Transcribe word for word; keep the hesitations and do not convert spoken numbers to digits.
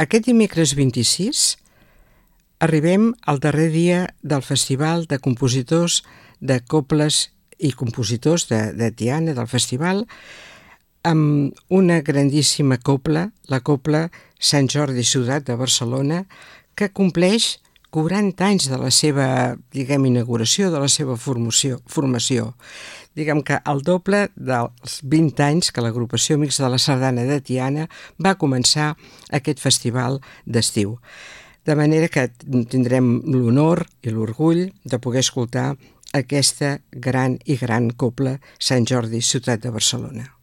Aquest dimecres vint-i-sis arribem al darrer dia del Festival de Compositors de Cobles i Compositors de, de Tiana, del festival, amb una grandíssima copla, la copla Sant Jordi Ciutat de Barcelona, que compleix quaranta anys de la seva, diguem, inauguració, de la seva formació. formació. Diguem que el doble dels vint anys que l'agrupació Amics de la Sardana de Tiana va començar aquest festival d'estiu. De manera que tindrem l'honor i l'orgull de poder escoltar aquesta gran i gran copla Sant Jordi Ciutat de Barcelona.